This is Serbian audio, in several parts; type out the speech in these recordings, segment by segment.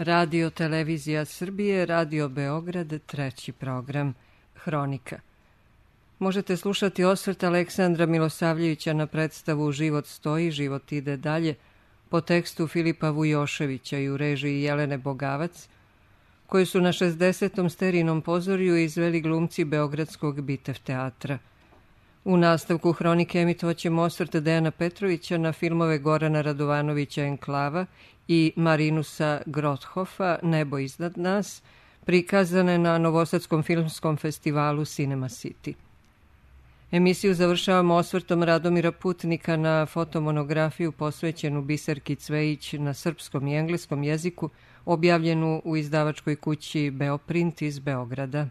Radio Televizija Srbije, Radio Beograd, treći program, Hronika. Možete slušati osvrt Aleksandra Milosavljevića na predstavu Život stoji, život ide dalje, po tekstu Filipa Vujoševića i u režiji Jelene Bogavac, koju su na 60. Sterinom pozorju izveli glumci Beogradskog Bitev teatra. U nastavku Hronike emitovaćemo osvrt Dejana Petrovića na filmove Gorana Radovanovića Enklava i Marinusa Grothofa Nebo iznad nas, prikazane na Novosadskom filmskom festivalu Cinema City. Emisiju završavamo osvrtom Radomira Putnika na fotomonografiju posvećenu Biserki Cvejić na srpskom i engleskom jeziku, objavljenu u izdavačkoj kući Beoprint iz Beograda.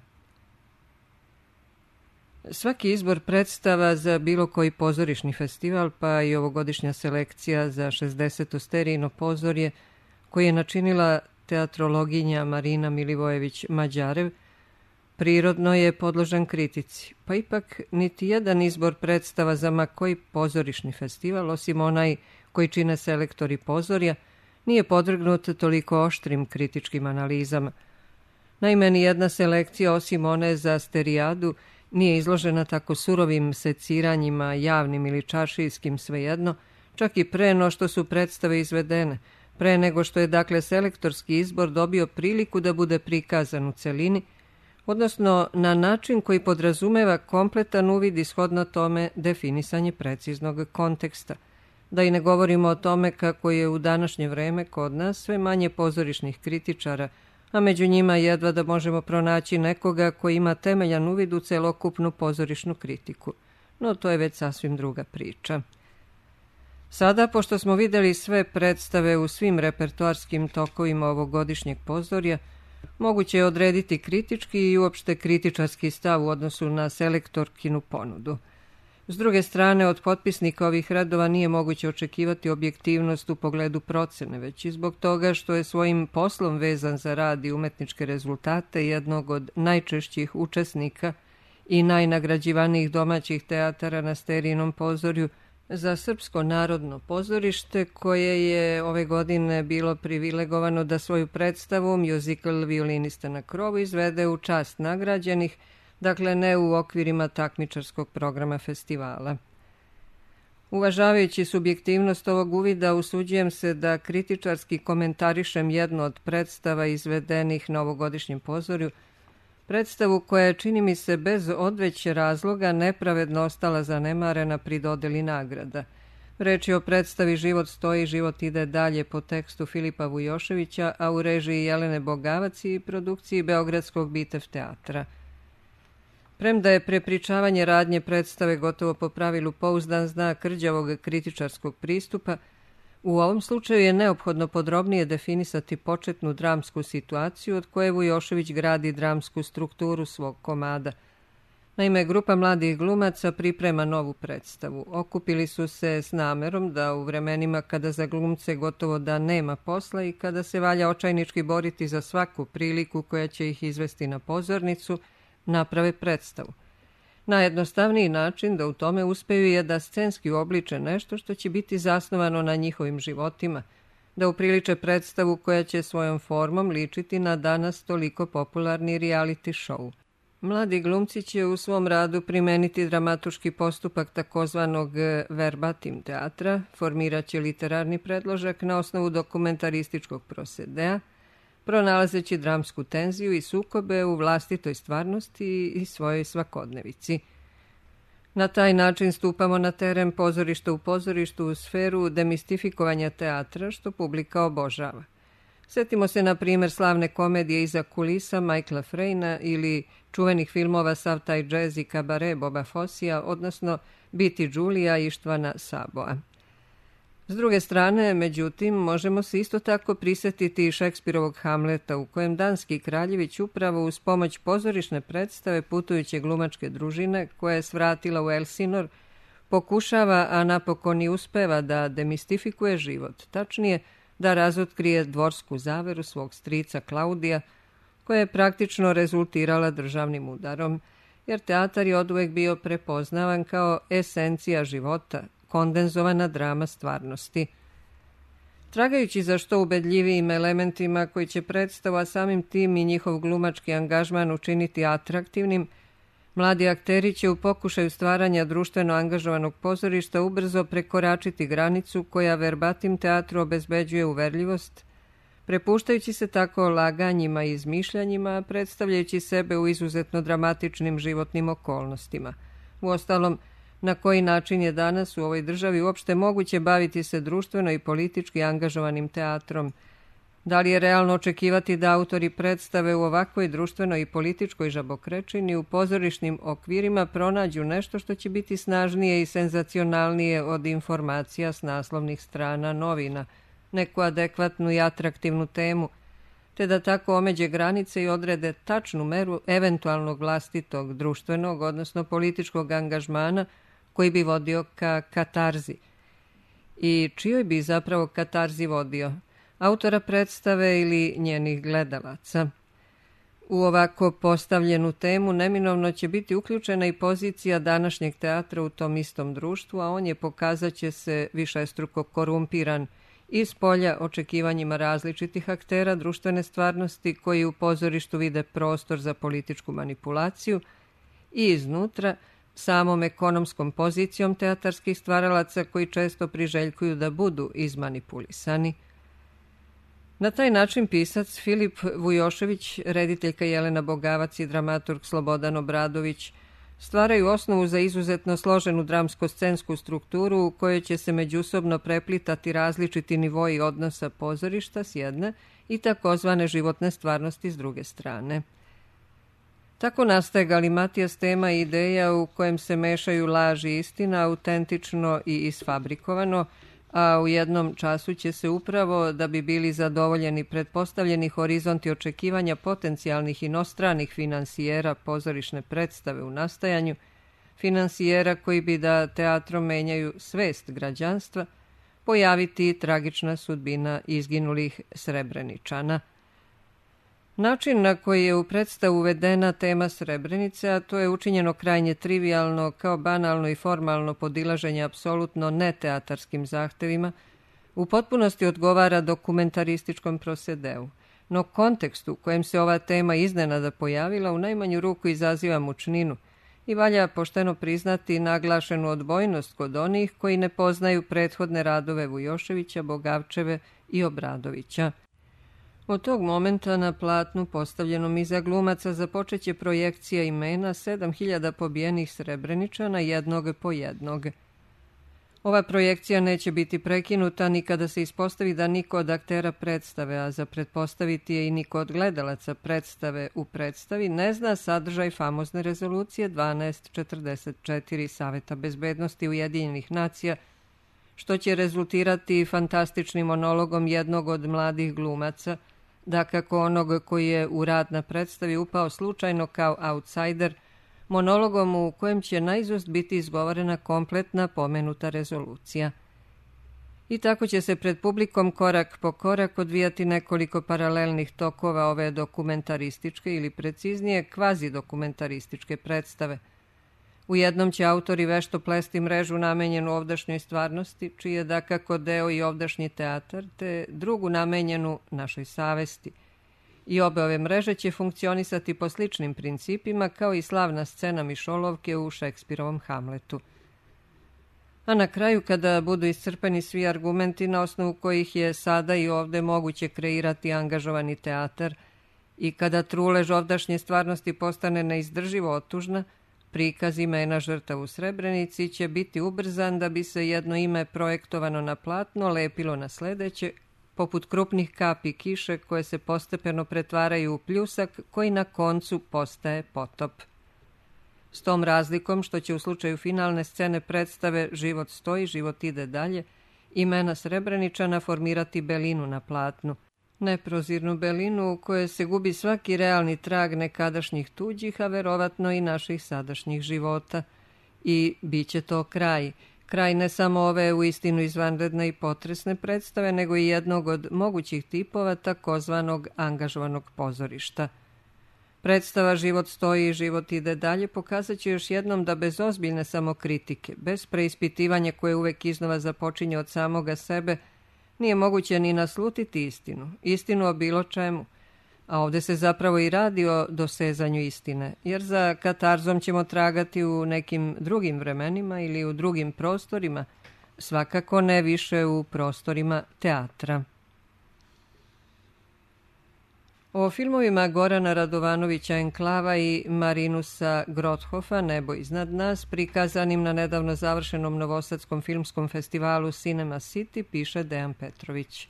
Svaki izbor predstava za bilo koji pozorišni festival, pa i ovogodišnja selekcija za 60. Sterijino pozorje, koje je načinila teatrologinja Marina Milivojević-Mađarev, prirodno je podložan kritici, pa ipak niti jedan izbor predstava za ma koji pozorišni festival, osim onaj koji čine selektori pozorja, nije podvrgnut toliko oštrim kritičkim analizama. Naime, ni jedna selekcija, osim one za Sterijadu, nije izložena tako surovim seciranjima, javnim ili čaršijskim, svejedno, čak i pre no što su predstave izvedene, pre nego što je dakle selektorski izbor dobio priliku da bude prikazan u celini, odnosno na način koji podrazumeva kompletan uvid i shodno tome definisanje preciznog konteksta. Da i ne govorimo o tome kako je u današnje vreme kod nas sve manje pozorišnih kritičara, a među njima jedva da možemo pronaći nekoga koji ima temeljan uvid u celokupnu pozorišnu kritiku. No to je već sasvim druga priča. Sada, pošto smo videli sve predstave u svim repertoarskim tokovima ovogodišnjeg pozorja, moguće je odrediti kritički i uopšte kritičarski stav u odnosu na selektorkinu ponudu. S druge strane, od potpisnika ovih radova nije moguće očekivati objektivnost u pogledu procene, već i zbog toga što je svojim poslom vezan za rad i umetničke rezultate jednog od najčešćih učesnika i najnagrađivanijih domaćih teatara na Sterijinom pozorju za Srpsko narodno pozorište, koje je ove godine bilo privilegovano da svoju predstavu Musical Violinista na krovu izvede u čast nagrađenih, dakle ne u okvirima takmičarskog programa festivala. Uvažavajući subjektivnost ovog uvida, usuđujem se da kritičarski komentarišem jednu od predstava izvedenih na ovogodišnjem pozorju, predstavu koja je, čini mi se, bez odveće razloga nepravedno ostala zanemarena pri dodeli nagrada. Reč je o predstavi Život stoji, život ide dalje po tekstu Filipa Vujoševića, a u režiji Jelene Bogavac i produkciji Beogradskog Bitev teatra. Premda je prepričavanje radnje predstave gotovo po pravilu pouzdan znak rđavog kritičarskog pristupa, u ovom slučaju je neophodno podrobnije definisati početnu dramsku situaciju od koje Vujošević gradi dramsku strukturu svog komada. Naime, grupa mladih glumaca priprema novu predstavu. Okupili su se s namerom da u vremenima kada za glumce gotovo da nema posla i kada se valja očajnički boriti za svaku priliku koja će ih izvesti na pozornicu, naprave predstavu. Najjednostavniji način da u tome uspeju je da scenski uobliče nešto što će biti zasnovano na njihovim životima, da upriliče predstavu koja će svojom formom ličiti na danas toliko popularni reality show. Mladi glumci će u svom radu primeniti dramaturški postupak takozvanog verbatim teatra, formiraće literarni predložak na osnovu dokumentarističkog prosedea, pronalazeći dramsku tenziju i sukobe u vlastitoj stvarnosti i svojoj svakodnevici. Na taj način stupamo na teren pozorišta u pozorištu u sferu demistifikovanja teatra, što publika obožava. Sjetimo se, na primjer, slavne komedije Iza kulisa Michaela Frejna ili čuvenih filmova Sav taj džez i kabare Boba Fossija, odnosno Biti Đulija Ištvana Saboa. S druge strane, međutim, možemo se isto tako prisjetiti i Šekspirovog Hamleta, u kojem danski kraljević upravo uz pomoć pozorišne predstave putujuće glumačke družine, koja je svratila u Elsinor, pokušava, a napokon i uspeva da demistifikuje život, tačnije da razotkrije dvorsku zaveru svog strica Klaudija, koja je praktično rezultirala državnim udarom, jer teatar je oduvek bio prepoznavan kao esencija života, kondenzovana drama stvarnosti. Tragajući za što ubedljivijim elementima koji će predstavu, a samim tim i njihov glumački angažman učiniti atraktivnim, mladi akteri će u pokušaju stvaranja društveno angažovanog pozorišta ubrzo prekoračiti granicu koja verbatim teatru obezbeđuje uverljivost, prepuštajući se tako laganjima i izmišljanjima, predstavljajući sebe u izuzetno dramatičnim životnim okolnostima. Uostalom, na koji način je danas u ovoj državi uopšte moguće baviti se društveno i politički angažovanim teatrom? Da li je realno očekivati da autori predstave u ovakvoj društvenoj i političkoj žabokrečini u pozorišnim okvirima pronađu nešto što će biti snažnije i senzacionalnije od informacija s naslovnih strana novina, neku adekvatnu i atraktivnu temu, te da tako omeđe granice i odrede tačnu meru eventualnog vlastitog društvenog, odnosno političkog angažmana koji bi vodio ka katarzi. I čijoj bi zapravo katarzi vodio? Autora predstave ili njenih gledalaca? U ovako postavljenu temu neminovno će biti uključena i pozicija današnjeg teatra u tom istom društvu, a on je pokazat će se višestruko korumpiran iz polja očekivanjima različitih aktera društvene stvarnosti koji u pozorištu vide prostor za političku manipulaciju i iznutra samom ekonomskom pozicijom teatarskih stvaralaca koji često priželjkuju da budu izmanipulisani. Na taj način pisac Filip Vujošević, rediteljka Jelena Bogavac i dramaturg Slobodan Obradović stvaraju osnovu za izuzetno složenu dramsko-scensku strukturu u kojoj će se međusobno preplitati različiti nivoji odnosa pozorišta s jedne i takozvane životne stvarnosti s druge strane. Tako nastaje galimatijas tema i ideja u kojem se mešaju laž i istina, autentično i isfabrikovano, a u jednom času će se upravo, da bi bili zadovoljeni pretpostavljeni horizonti očekivanja potencijalnih inostranih finansijera pozorišne predstave u nastajanju, finansijera koji bi da teatrom menjaju svest građanstva, pojaviti tragična sudbina izginulih Srebreničana. Način na koji je u predstavu uvedena tema Srebrenice, a to je učinjeno krajnje trivijalno, kao banalno i formalno podilaženje apsolutno neteatarskim zahtevima, u potpunosti odgovara dokumentarističkom prosedeu. No kontekst u kojem se ova tema iznenada pojavila u najmanju ruku izaziva mučninu i valja pošteno priznati naglašenu odbojnost kod onih koji ne poznaju prethodne radove Vujoševića, Bogavčeve i Obradovića. Od tog momenta na platnu postavljenom iza glumaca započeće projekcija imena 7000 pobijenih Srebreničana jednog po jednog. Ova projekcija neće biti prekinuta ni kada se ispostavi da niko od aktera predstave, a za pretpostaviti je i niko od gledalaca predstave u predstavi, ne zna sadržaj famozne rezolucije 1244 Saveta bezbednosti Ujedinjenih nacija, što će rezultirati fantastičnim monologom jednog od mladih glumaca, dakako onog koji je u rad na predstavi upao slučajno kao outsider, monologom u kojem će naizust biti izgovorena kompletna pomenuta rezolucija. I tako će se pred publikom korak po korak odvijati nekoliko paralelnih tokova ove dokumentarističke ili preciznije kvazi-dokumentarističke predstave. U jednom će autori vešto plesti mrežu namenjenu ovdašnjoj stvarnosti, čiji je dakako deo i ovdašnji teatar, te drugu namenjenu našoj savesti. I obe ove mreže će funkcionisati po sličnim principima kao i slavna scena Mišolovke u Šekspirovom Hamletu. A na kraju, kada budu iscrpeni svi argumenti na osnovu kojih je sada i ovde moguće kreirati angažovani teatar i kada trulež ovdašnje stvarnosti postane neizdrživo otužna, prikaz imena žrtava u Srebrenici će biti ubrzan da bi se jedno ime projektovano na platno lepilo na sledeće, poput krupnih kapi kiše koje se postepeno pretvaraju u pljusak koji na koncu postaje potop. S tom razlikom što će u slučaju finalne scene predstave Život stoji, život ide dalje, imena Srebreničana formirati belinu na platnu. Neprozirnu belinu u kojoj se gubi svaki realni trag nekadašnjih tuđih, a verovatno i naših sadašnjih života. I bit će to kraj. Kraj ne samo ove uistinu izvanredne i potresne predstave, nego i jednog od mogućih tipova takozvanog angažovanog pozorišta. Predstava Život stoji i život ide dalje pokazat će još jednom da bez ozbiljne samokritike, bez preispitivanja koje uvek iznova započinje od samoga sebe, nije moguće ni naslutiti istinu o bilo čemu, a ovdje se zapravo i radi o dosezanju istine, jer za katarzom ćemo tragati u nekim drugim vremenima ili u drugim prostorima, svakako ne više u prostorima teatra. O filmovima Gorana Radovanovića Enklava i Marinusa Grothofa Nebo iznad nas, prikazanim na nedavno završenom novosadskom filmskom festivalu Cinema City, piše Dejan Petrović.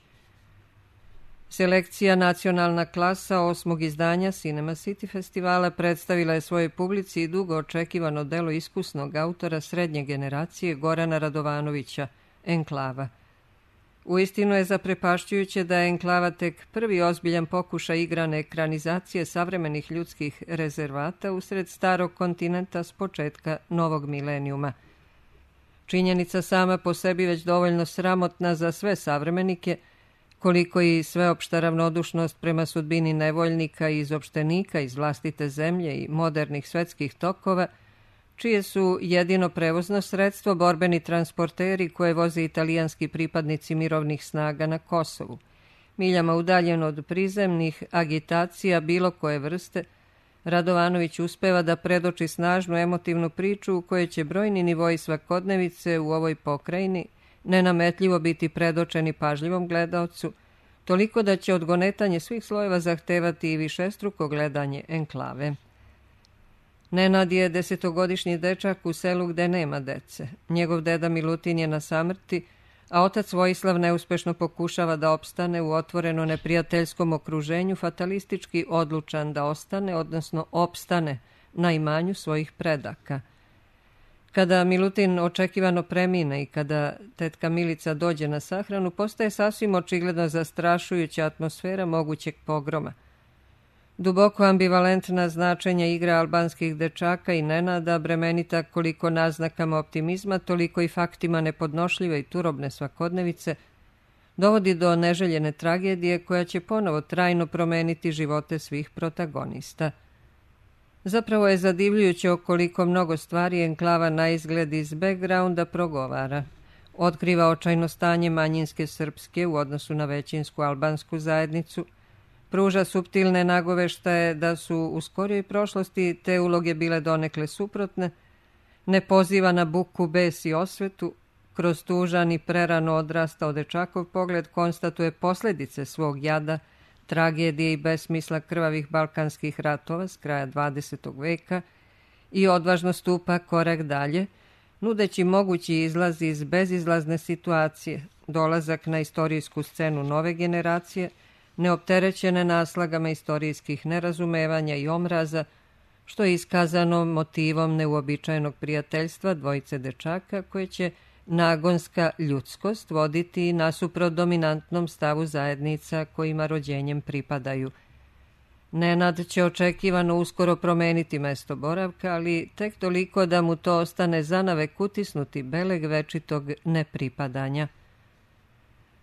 Selekcija Nacionalna klasa 8. izdanja Cinema City festivala predstavila je svojoj publici i dugo očekivano delo iskusnog autora srednje generacije Gorana Radovanovića Enklava. Uistinu je zaprepašćujuće da je Enklava tek prvi ozbiljan pokušaj igrane ekranizacije savremenih ljudskih rezervata usred starog kontinenta s početka novog milenijuma. Činjenica sama po sebi već dovoljno sramotna za sve savremenike, koliko i sveopšta ravnodušnost prema sudbini nevoljnika i izopštenika iz vlastite zemlje i modernih svetskih tokova, čije su jedino prevozno sredstvo borbeni transporteri koje voze italijanski pripadnici mirovnih snaga na Kosovu, miljama udaljen od prizemnih agitacija bilo koje vrste, Radovanović uspeva da predoči snažnu emotivnu priču u kojoj će brojni nivoji svakodnevice u ovoj pokrajini nenametljivo biti predočeni pažljivom gledaocu, toliko da će odgonetanje svih slojeva zahtevati i višestruko gledanje Enklave. Nenad je 10-godišnji dečak u selu gde nema dece. Njegov deda Milutin je na samrti, a otac Vojislav neuspešno pokušava da opstane u otvoreno neprijateljskom okruženju, fatalistički odlučan da ostane, odnosno opstane, na imanju svojih predaka. Kada Milutin očekivano premine i kada tetka Milica dođe na sahranu, postaje sasvim očigledno zastrašujuća atmosfera mogućeg pogroma. Duboko ambivalentna značenja igra albanskih dečaka i Nenada, bremenita koliko naznakama optimizma, toliko i faktima nepodnošljive i turobne svakodnevice, dovodi do neželjene tragedije koja će ponovo trajno promeniti živote svih protagonista. Zapravo je zadivljujuće o koliko mnogo stvari Enklava na izgled iz backgrounda progovara. Otkriva očajno stanje manjinske srpske u odnosu na većinsku albansku zajednicu, pruža suptilne nagoveštaje da su u skorijoj prošlosti te uloge bile donekle suprotne, ne poziva na buku, bes i osvetu, kroz tužan i prerano odrastao dečakov pogled konstatuje posljedice svog jada, tragedije i besmisla krvavih balkanskih ratova s kraja 20. veka i odvažno stupa korak dalje, nudeći mogući izlaz iz bezizlazne situacije, dolazak na istorijsku scenu nove generacije, neopterećene naslagama istorijskih nerazumevanja i omraza, što je iskazano motivom neuobičajenog prijateljstva dvojice dečaka koje će nagonska ljudskost voditi nasuprot dominantnom stavu zajednica kojima rođenjem pripadaju. Nenad će očekivano uskoro promeniti mesto boravka, ali tek toliko da mu to ostane zanavek utisnuti beleg večitog nepripadanja.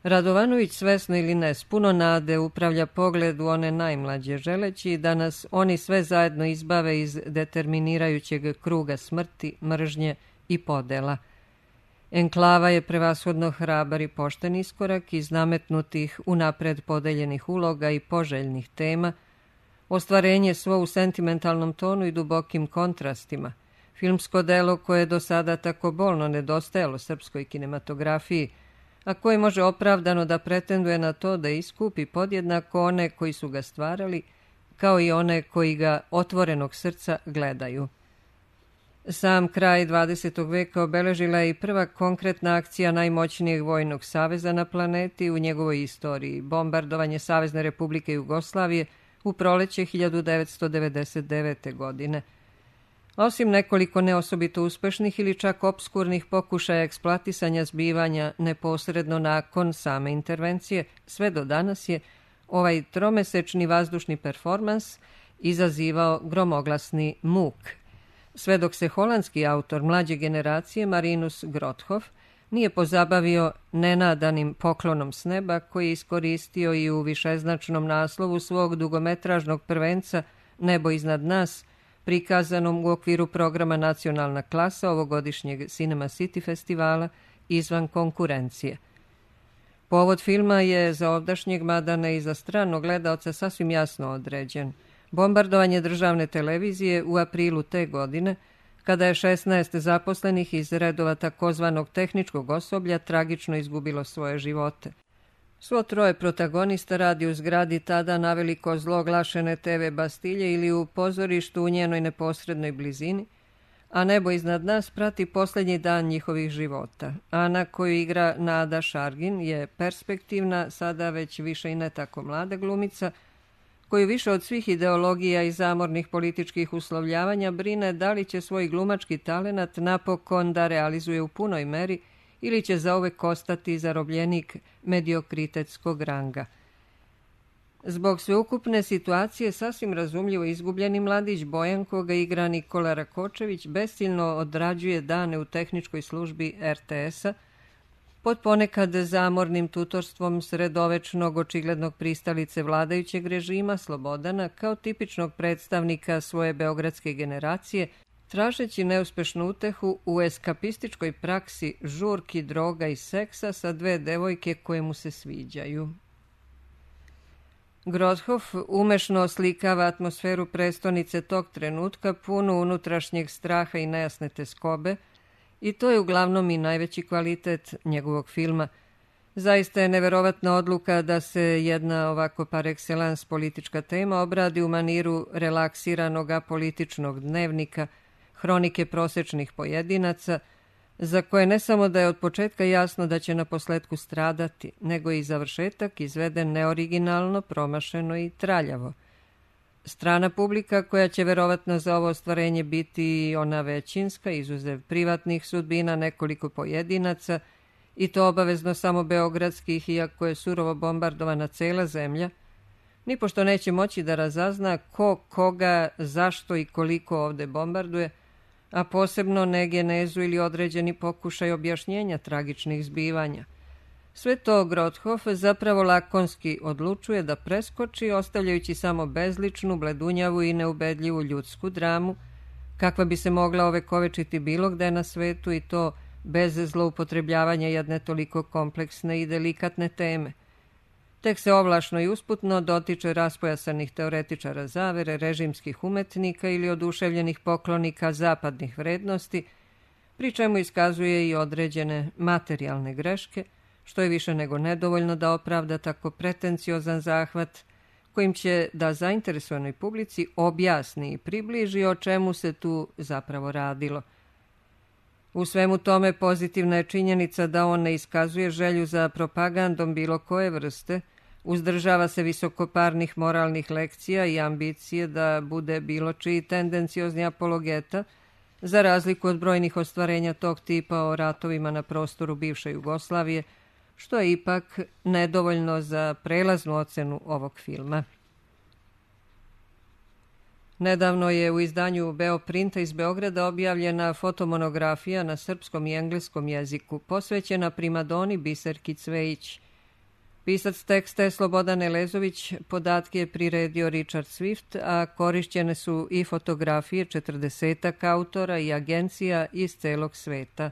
Radovanović, svesno ili ne, s puno nade upravlja pogled u one najmlađe, želeći da nas oni sve zajedno izbave iz determinirajućeg kruga smrti, mržnje i podela. Enklava je prevashodno hrabar i pošten iskorak iz nametnutih unapred podeljenih uloga i poželjnih tema, ostvarenje svo u sentimentalnom tonu i dubokim kontrastima, filmsko delo koje je do sada tako bolno nedostajalo srpskoj kinematografiji, a koje može opravdano da pretenduje na to da iskupi podjednako one koji su ga stvarali, kao i one koji ga otvorenog srca gledaju. Sam kraj 20. veka obeležila je i prva konkretna akcija najmoćnijeg vojnog saveza na planeti u njegovoj istoriji, bombardovanje Savezne Republike Jugoslavije u proleće 1999. godine. Osim nekoliko neosobito uspešnih ili čak opskurnih pokušaja eksploatisanja zbivanja neposredno nakon same intervencije, sve do danas je ovaj tromesečni vazdušni performans izazivao gromoglasni muk. Sve dok se holandski autor mlađe generacije Marinus Grothof nije pozabavio nenadanim poklonom s neba koji je iskoristio i u višeznačnom naslovu svog dugometražnog prvenca Nebo iznad nas, prikazanom u okviru programa Nacionalna klasa ovogodišnjeg Cinema City festivala izvan konkurencije. Povod filma je za ovdašnjeg, mada ne i za stranog gledaoca, sasvim jasno određen. Bombardovanje državne televizije u aprilu te godine, kada je 16 zaposlenih iz redova takozvanog tehničkog osoblja tragično izgubilo svoje živote. Svo troje protagonista radi u zgradi tada naveliko zloglašene TV Bastilje ili u pozorištu u njenoj neposrednoj blizini, a nebo iznad nas prati posljednji dan njihovih života. Ana, koju igra Nada Šargin, je perspektivna, sada već više i ne tako mlada glumica, koju više od svih ideologija i zamornih političkih uslovljavanja brine da li će svoj glumački talenat napokon da realizuje u punoj meri ili će zauvek ostati zarobljenik mediokritetskog ranga. Zbog sveukupne situacije sasvim razumljivo izgubljeni mladić Bojan, koga igra Nikola Rakočević, besciljno odrađuje dane u tehničkoj službi RTS-a, pod ponekad zamornim tutorstvom sredovečnog očiglednog pristalice vladajućeg režima Slobodana kao tipičnog predstavnika svoje beogradske generacije, tražeći neuspešnu utehu u eskapističkoj praksi žurki, droga i seksa sa dve devojke koje mu se sviđaju. Grothoff umešno oslikava atmosferu prestonice tog trenutka, punu unutrašnjeg straha i nejasne teskobe, i to je uglavnom i najveći kvalitet njegovog filma. Zaista je neverovatna odluka da se jedna ovako par excellence politička tema obradi u maniru relaksiranog apolitičnog dnevnika, hronike prosečnih pojedinaca, za koje ne samo da je od početka jasno da će na posletku stradati, nego i završetak izveden neoriginalno, promašeno i traljavo. Strana publika, koja će verovatno za ovo ostvarenje biti ona većinska, izuzev privatnih sudbina nekoliko pojedinaca, i to obavezno samo beogradskih, iako je surovo bombardovana cela zemlja, nipošto neće moći da razazna ko, koga, zašto i koliko ovde bombarduje, a posebno ne genezu ili određeni pokušaj objašnjenja tragičnih zbivanja. Sve to Grothoff zapravo lakonski odlučuje da preskoči, ostavljajući samo bezličnu, bledunjavu i neubedljivu ljudsku dramu, kakva bi se mogla ovekovečiti bilo gde na svetu, i to bez zloupotrebljavanja jedne toliko kompleksne i delikatne teme. Tek se ovlašno i usputno dotiče raspojasanih teoretičara zavere, režimskih umetnika ili oduševljenih poklonika zapadnih vrednosti, pri čemu iskazuje i određene materijalne greške, što je više nego nedovoljno da opravda tako pretenciozan zahvat, kojim će da zainteresovanoj publici objasni i približi o čemu se tu zapravo radilo. U svemu tome pozitivna je činjenica da on ne iskazuje želju za propagandom bilo koje vrste, uzdržava se visokoparnih moralnih lekcija i ambicije da bude bilo čiji tendenciozni apologeta, za razliku od brojnih ostvarenja tog tipa o ratovima na prostoru bivše Jugoslavije, što je ipak nedovoljno za prelaznu ocenu ovog filma. Nedavno je u izdanju Beoprinta iz Beograda objavljena fotomonografija na srpskom i engleskom jeziku, posvećena primadoni Biserki Cvejić. Pisac teksta je Slobodan Elezović, podatke je priredio Richard Swift, a korišćene su i fotografije 40 autora i agencija iz celog sveta.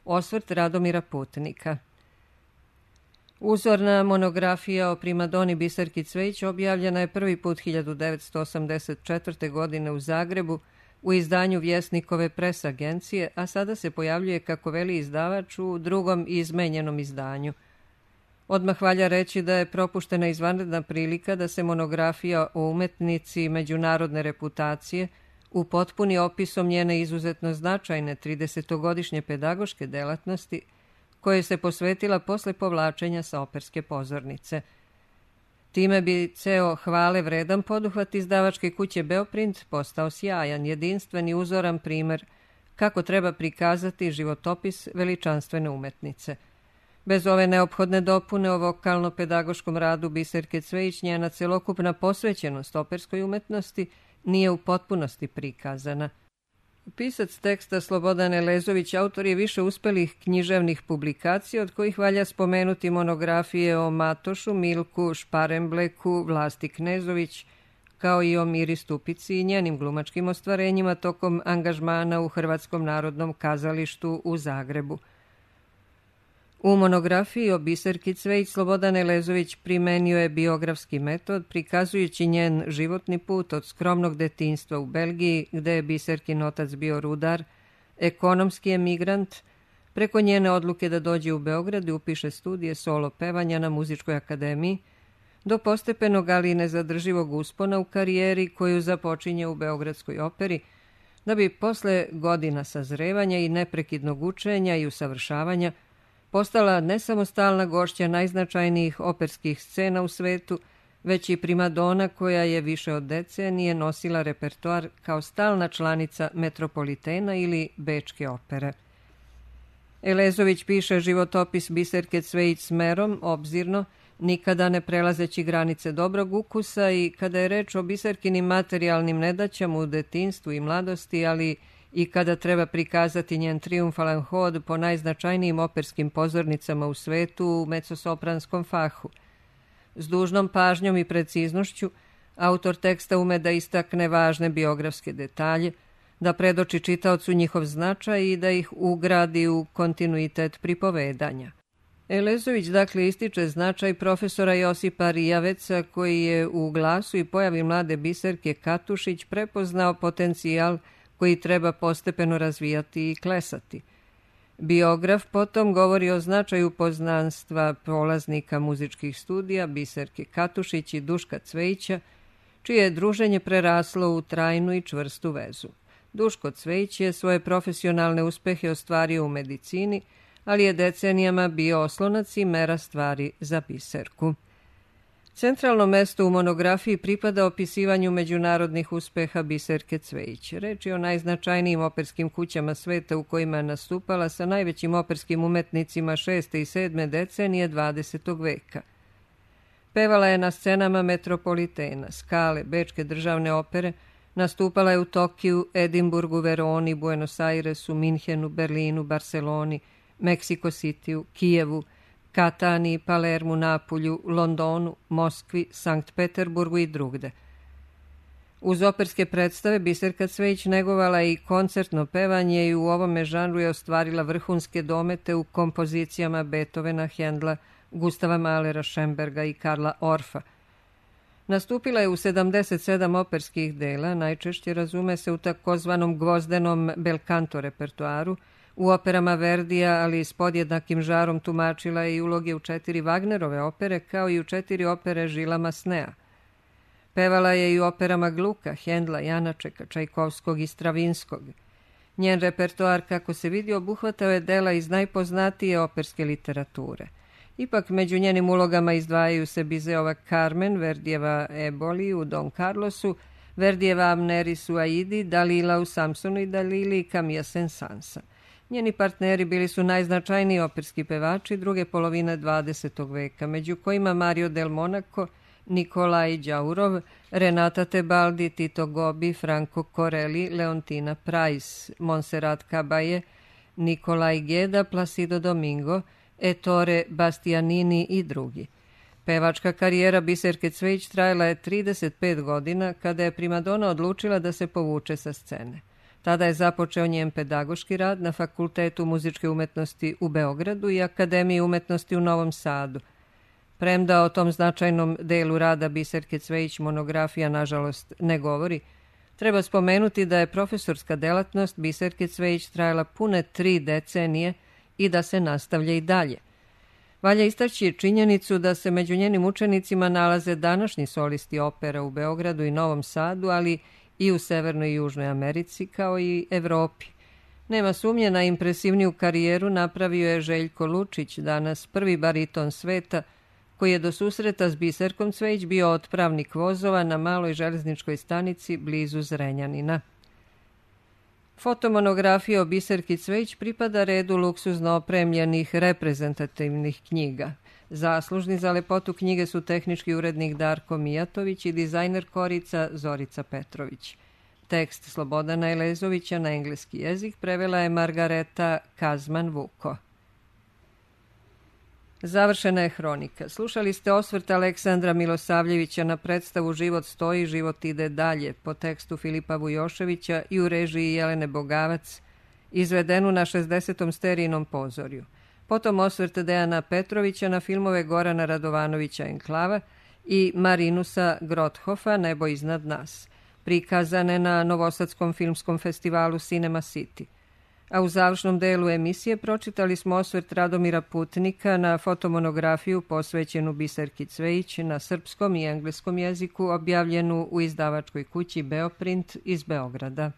Osvrt Radomira Putnika. Uzorna monografija o primadoni Biserki Cvejić objavljena je prvi put 1984. godine u Zagrebu u izdanju Vjesnikove pres agencije, a sada se pojavljuje, kako veli izdavač, u drugom izmenjenom izdanju. Odmah valja reći da je propuštena izvanredna prilika da se monografija o umetnici međunarodne reputacije upotpuni opisom njene izuzetno značajne 30-godišnje pedagoške delatnosti, koje se posvetila posle povlačenja sa operske pozornice. Time bi ceo hvale vredan poduhvat izdavačke kuće Beoprint postao sjajan, jedinstven i uzoran primer kako treba prikazati životopis veličanstvene umetnice. Bez ove neophodne dopune o vokalno-pedagoškom radu Biserke Cvejić, njena celokupna posvećenost operskoj umetnosti nije u potpunosti prikazana. Pisac teksta Slobodan Elezović autor je više uspelih književnih publikacija, od kojih valja spomenuti monografije o Matošu, Milku, Šparembleku, Vlasti Knezović, kao i o Miri Stupici i njenim glumačkim ostvarenjima tokom angažmana u Hrvatskom narodnom kazalištu u Zagrebu. U monografiji o Biserki Cvejić Slobodan Elezović primenio je biografski metod, prikazujući njen životni put od skromnog detinjstva u Belgiji, gde je Biserkin otac bio rudar, ekonomski emigrant, preko njene odluke da dođe u Beograd i upiše studije solo pevanja na Muzičkoj akademiji, do postepenog, ali nezadrživog uspona u karijeri koju započinje u Beogradskoj operi, da bi posle godina sazrevanja i neprekidnog učenja i usavršavanja postala ne samo stalna gošća najznačajnijih operskih scena u svetu, već i primadona koja je više od decenije nosila repertoar kao stalna članica Metropolitena ili Bečke opere. Elezović piše životopis Biserke Cvejić smerom, obzirno, nikada ne prelazeći granice dobrog ukusa i kada je reč o Biserkinim materijalnim nedaćama u detinjstvu i mladosti, ali i kada treba prikazati njen triumfalan hod po najznačajnijim operskim pozornicama u svetu u mezzosopranskom fahu. S dužnom pažnjom i preciznošću, autor teksta ume da istakne važne biografske detalje, da predoči čitaocu njihov značaj i da ih ugradi u kontinuitet pripovedanja. Elezović dakle ističe značaj profesora Josipa Rijaveca, koji je u glasu i pojavi mlade Biserke Katušić prepoznao potencijal koji treba postepeno razvijati i klesati. Biograf potom govori o značaju poznanstva polaznika muzičkih studija Biserke Katušić i Duška Cvejića, čije je druženje preraslo u trajnu i čvrstu vezu. Duško Cvejić je svoje profesionalne uspehe ostvario u medicini, ali je decenijama bio oslonac i mera stvari za Biserku. Centralno mesto u monografiji pripada opisivanju međunarodnih uspeha Biserke Cvejić. Reč je o najznačajnijim operskim kućama sveta u kojima je nastupala sa najvećim operskim umetnicima 6. i 7. decenije 20. veka. Pevala je na scenama Metropolitena, Skale, Bečke državne opere, nastupala je u Tokiju, Edinburgu, Veroni, Buenos Airesu, Minhenu, Berlinu, Barceloni, Meksiko Cityu, Kijevu, Kataniji, Palermu, Napulju, Londonu, Moskvi, Sankt Peterburgu i drugde. Uz operske predstave Biserka Cvejić negovala i koncertno pevanje i u ovome žanru je ostvarila vrhunske domete u kompozicijama Beethovena, Hendla, Gustava Mahlera, Schönberga i Karla Orfa. Nastupila je u 77 operskih dela, najčešće razume se u takozvanom gvozdenom belcanto repertuaru, u operama Verdija, ali s podjednakim žarom tumačila je i uloge u 4 Wagnerove opere, kao i u 4 opere Žila Masnea. Pevala je i u operama Gluka, Hendla, Janačeka, Čajkovskog i Stravinskog. Njen repertoar, kako se vidi, obuhvatao je dela iz najpoznatije operske literature. Ipak među njenim ulogama izdvajaju se Bizeova Carmen, Verdijeva Eboli u Don Carlosu, Verdijeva Amneris u Aidi, Dalila u Samsonu i Dalili i Camilla Saint-Sansa. Njeni partneri bili su najznačajniji operski pevači druge polovine 20. veka, među kojima Mario del Monaco, Nikolaj Đaurov, Renata Tebaldi, Tito Gobi, Franco Corelli, Leontina Price, Montserrat Caballé, Nikolaj Geda, Placido Domingo, Ettore Bastianini i drugi. Pevačka karijera Biserke Cvejić trajala je 35 godina kada je primadona odlučila da se povuče sa scene. Tada je započeo njen pedagoški rad na Fakultetu muzičke umetnosti u Beogradu i Akademiji umetnosti u Novom Sadu. Premda o tom značajnom delu rada Biserke Cvejić monografija nažalost ne govori, treba spomenuti da je profesorska delatnost Biserke Cvejić trajala pune 3 decenije i da se nastavlja i dalje. Valja istaći činjenicu da se među njenim učenicima nalaze današnji solisti opera u Beogradu i Novom Sadu, ali i u Severnoj i Južnoj Americi, kao i Evropi. Nema sumnje, na impresivniju karijeru napravio je Željko Lučić, danas prvi bariton sveta, koji je do susreta s Biserkom Cvejić bio otpravnik vozova na maloj železničkoj stanici blizu Zrenjanina. Fotomonografija o Biserki Cvejić pripada redu luksuzno opremljenih reprezentativnih knjiga. Zaslužni za lepotu knjige su tehnički urednik Darko Mijatović i dizajner korica Zorica Petrović. Tekst Slobodana Elezovića na engleski jezik prevela je Margareta Kazman-Vuko. Završena je hronika. Slušali ste osvrt Aleksandra Milosavljevića na predstavu Život stoji, život ide dalje po tekstu Filipa Vujoševića i u režiji Jelene Bogavac, izvedenu na 60. sterijinom pozorju. potom osvrt Dejana Petrovića na filmove Gorana Radovanovića Enklava i Marinusa Grothofa Nebo iznad nas, prikazane na Novosadskom filmskom festivalu Cinema City. A u završnom delu emisije pročitali smo osvrt Radomira Putnika na fotomonografiju posvećenu Biserki Cvejić na srpskom i engleskom jeziku, objavljenu u izdavačkoj kući Beoprint iz Beograda.